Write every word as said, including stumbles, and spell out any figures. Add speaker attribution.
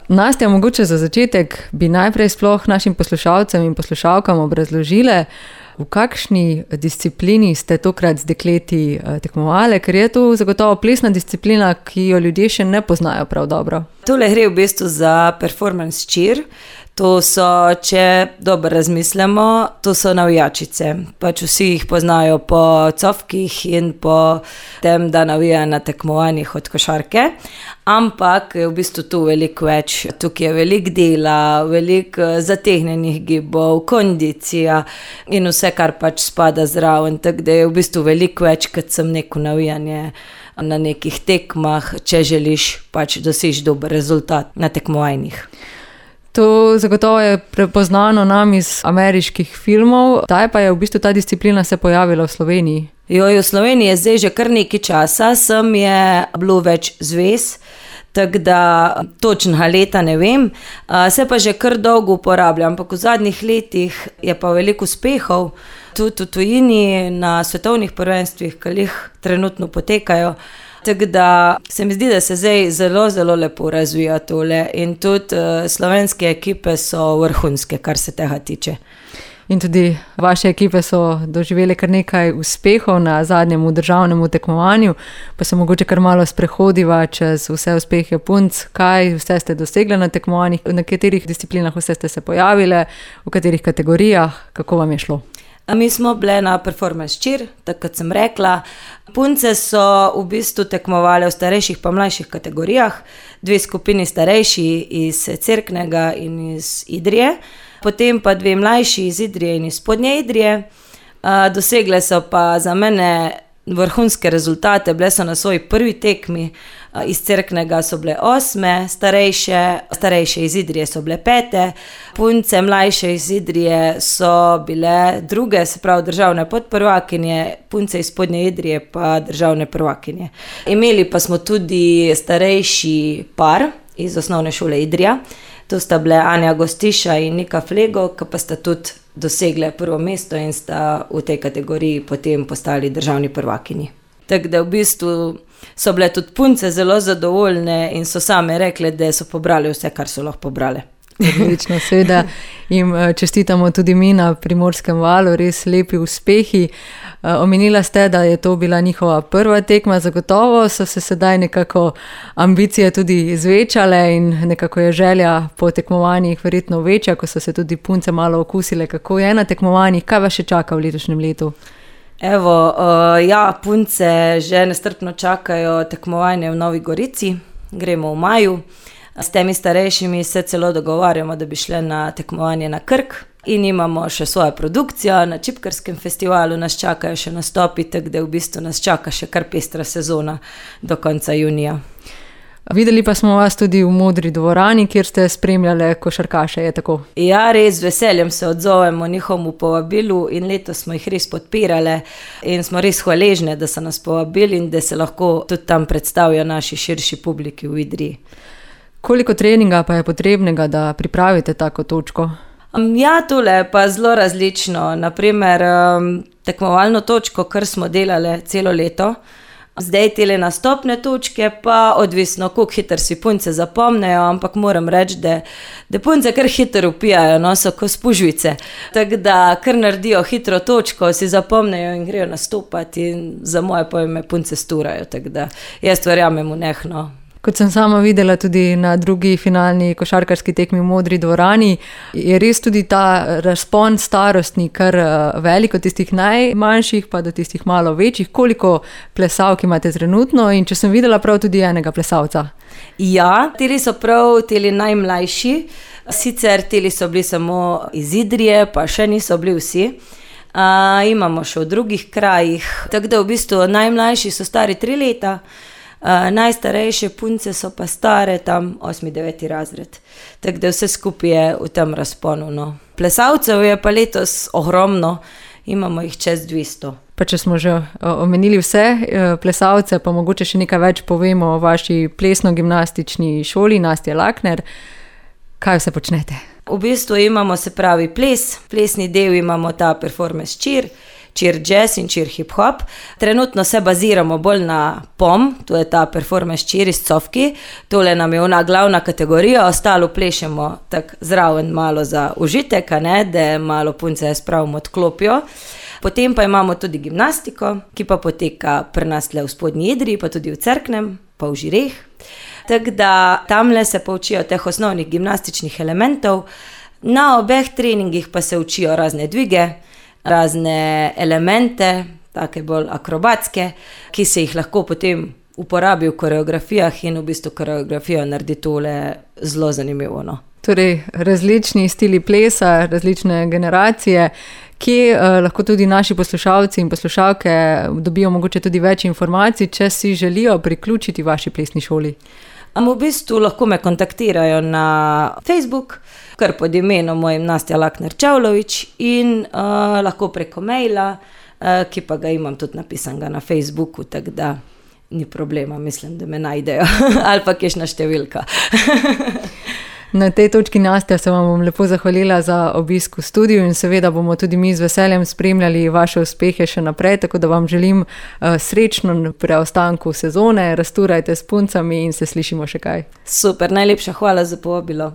Speaker 1: Nastja, mogoče za začetek bi najprej sploh našim poslušalcem in poslušalkam obrazložile, v kakšni disciplini ste tokrat z dekleti tekmovali, ker je to zagotovo plesna disciplina, ki jo ljudje še ne poznajo prav dobro.
Speaker 2: Tole gre v bistvu za performance cheer. To so, če dobro razmislimo, to so navijačice. Pač vsi jih poznajo po cofkih in po tem, da navijajo na tekmovanjih od košarke. Ampak je v bistvu tu veliko več. Tukaj je veliko dela, veliko zategnjenih gibov, kondicija in vse, kar pač spada zraven. Tako da je v bistvu veliko več, kot sem neko navijanje na nekih tekmah, če želiš pač doseči dober rezultat na tekmovanjih.
Speaker 1: To zagotovo je prepoznano nam iz ameriških filmov. Kdaj pa je v bistvu ta disciplina se pojavila v Sloveniji?
Speaker 2: Joj, v Sloveniji je zdaj že kar nekaj časa, sem je bilo več zvez, tako da točnega leta ne vem. Se pa že kar dolgo uporablja, ampak v zadnjih letih je pa veliko uspehov, tudi v tujini na svetovnih prvenstvih, ki jih trenutno potekajo. Tako da se mi zdi, da se zdaj zelo, zelo lepo razvija tole in tudi uh, slovenske ekipe so vrhunske, kar se tega tiče.
Speaker 1: In tudi vaše ekipe so doživele kar nekaj uspehov na zadnjem državnem tekmovanju, pa se mogoče kar malo sprehodiva čez vse uspehe punc. Kaj vse ste dosegli na tekmovanjih, na katerih disciplinah vse ste se pojavile, v katerih kategorijah, kako vam je šlo?
Speaker 2: Mi smo bile na performance cheer, tako kot sem rekla. Punce so v bistvu tekmovale v starejših pa mlajših kategorijah, dve skupini starejši iz Cerknega in iz Idrije, potem pa dve mlajši iz Idrije in iz Spodnje Idrije. Dosegle so pa za mene vrhunske rezultate, bile so na svoji prvi tekmi, iz Cerknega so bile osme, starejše, starejše iz Idrije so bile pete, punce mlajše iz Idrije so bile druge, se pravi državne podprvakinje, punce iz Spodnje Idrije pa državne prvakinje. Imeli pa smo tudi starejši par iz osnovne šole Idrija, to sta bile Anja Gostiša in Nika Flego, ki pa sta tudi dosegle prvo mesto in sta v tej kategoriji potem postali državni prvakinji. Tako da v bistvu so bile tudi punce zelo zadovoljne in so same rekle, da so pobrali vse, kar so lahko pobrale.
Speaker 1: Odlično, seveda jim čestitamo tudi mi na Primorskem valu, res lepi uspehi. Omenila ste, da je to bila njihova prva tekma, zagotovo so se sedaj nekako ambicije tudi zvečale in nekako je želja po tekmovanjih verjetno večja, ko so se tudi punce malo okusile, kako je na tekmovanjih. Kaj vas še čaka v letošnjem letu?
Speaker 2: Evo, uh, ja, punce že nestrpno čakajo tekmovanje v Novi Gorici, gremo v maju. S temi starejšimi se celo dogovarjamo, da bi šle na tekmovanje na Krk in imamo še svojo produkcijo, na Čipkarskem festivalu nas čakajo še nastopi, tako da v bistvu nas čaka še kar pestra sezona do konca junija.
Speaker 1: Videli pa smo vas tudi v Modri dvorani, kjer ste spremljale košarkaše, je tako?
Speaker 2: Ja, res, z veseljem se odzovemo njihovemu povabilu in letos smo jih res podpirale in smo res hvaležne, da so nas povabili in da se lahko tudi tam predstavijo naši širši publiki v Idriji.
Speaker 1: Koliko treninga pa je potrebnega, da pripravite tako točko?
Speaker 2: Ja, tole je pa zelo različno. Naprimer, tekmovalno točko, kar smo delali celo leto, zdaj tele nastopne točke pa odvisno, koliko hitro si punce zapomnejo, ampak moram reči, da, da punce kar hitro upijajo, no, so kot spužvice. Tako da kar naredijo hitro točko, si zapomnejo in grejo nastopati in za moje pojme punce sturajo, tako da jaz verjamem v njih, no.
Speaker 1: Kot sem sama videla tudi na drugi finalni košarkarski tekmi v Modri dvorani, je res tudi ta razpon starostni kar velik od tistih najmanjših pa do tistih malo večjih. Koliko plesalk imate trenutno in če sem videla prav tudi enega plesalca?
Speaker 2: Ja, teli so prav teli najmlajši, sicer teli so bili samo iz Idrije, pa še niso bili vsi. Uh, imamo še v drugih krajih, tako da v bistvu najmlajši so stari tri leta, Uh, najstarejše punce so pa stare tam osmi, deveti razred. Tako da vse skupaj je v tem razponu, no. Plesalcev je pa letos ogromno, imamo jih čez dvesto.
Speaker 1: Pa če smo že omenili vse plesalce, pa mogoče še nekaj več povemo o vaši plesno-gimnastični šoli Nastje Lakner. Kaj vse počnete?
Speaker 2: V bistvu imamo, se pravi, ples, plesni del imamo ta performance cheer, cheer jazz in cheer hip hop. Trenutno se baziramo bolj na P O M, to je ta performance cheer iz Cofki. Tole nam je ona glavna kategorija, ostalo plešemo tak zraven malo za užitek, a ne, da malo punce spravimo odklopijo. Potem pa imamo tudi gimnastiko, ki pa poteka pri nas le v Spodnji Idriji, pa tudi v Cerknem, pa v Žireh. Tako da tamle se poučijo teh osnovnih gimnastičnih elementov. Na obeh treningih pa se učijo razne dvige, razne elemente, take bolj akrobatske, ki se jih lahko potem uporabi v koreografijah in v bistvu koreografijo naredi tole zelo zanimivo. No.
Speaker 1: Torej, različni stili plesa, različne generacije, kje eh, lahko tudi naši poslušalci in poslušalke dobijo mogoče tudi več informacij, če si želijo priključiti vaši plesni šoli.
Speaker 2: V bistvu lahko me kontaktirajo na Facebook, kar pod imenom mojim Nastja Lakner-Čavlović in uh, lahko preko maila, uh, ki pa ga imam tudi napisanega na Facebooku, tako da ni problema, mislim, da me najdejo ali pa kakšna številka.
Speaker 1: Na tej točki, Nastja, se vam bom lepo zahvalila za obisk v studiu in seveda bomo tudi mi z veseljem spremljali vaše uspehe še naprej, tako da vam želim uh, srečno preostanku sezone, rasturajte s puncami in se slišimo še kaj.
Speaker 2: Super, najlepša hvala za povabilo.